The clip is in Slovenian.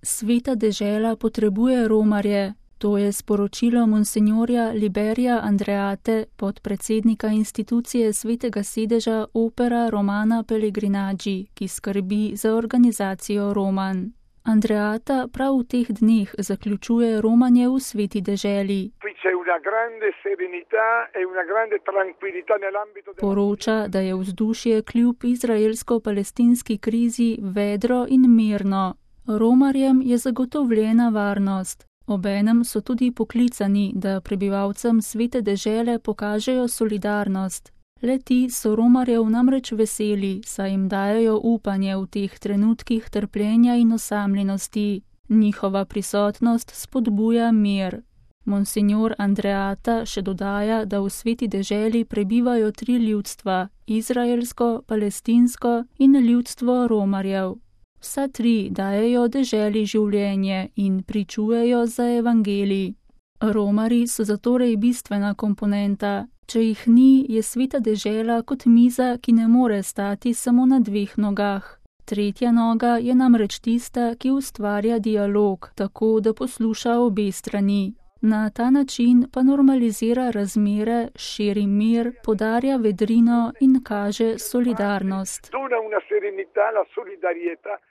Sveta dežela potrebuje romarje, to je sporočilo monsinjorja Liberija Andreate, podpredsednika institucije Svetega sedeža Opera Romana Pellegrinaggi, ki skrbi za organizacijo romanj. Andreata prav v teh dneh zaključuje romanje v Sveti deželi. Poroča, da je vzdušje kljub izraelsko-palestinski krizi vedro in mirno. Romarjem je zagotovljena varnost. Obenem so tudi poklicani, da prebivalcem Svete dežele pokažejo solidarnost. Le-ti so romarjev namreč veseli, saj jim dajejo upanje v teh trenutkih trpljenja in osamljenosti. Njihova prisotnost spodbuja mir. Monsinjor Andreata še dodaja, da v Sveti deželi prebivajo 3 ljudstva, izraelsko, palestinsko in ljudstvo romarjev. Vsa 3 dajejo deželi življenje in pričujejo za evangelij. Romarji so zatorej bistvena komponenta. Če jih ni, je Sveta dežela kot miza, ki ne more stati samo na 2 nogah. 3. noga je namreč tista, ki ustvarja dialog, tako da posluša obe strani. Na ta način pa normalizira razmere, širi mir, podarja vedrino in kaže solidarnost.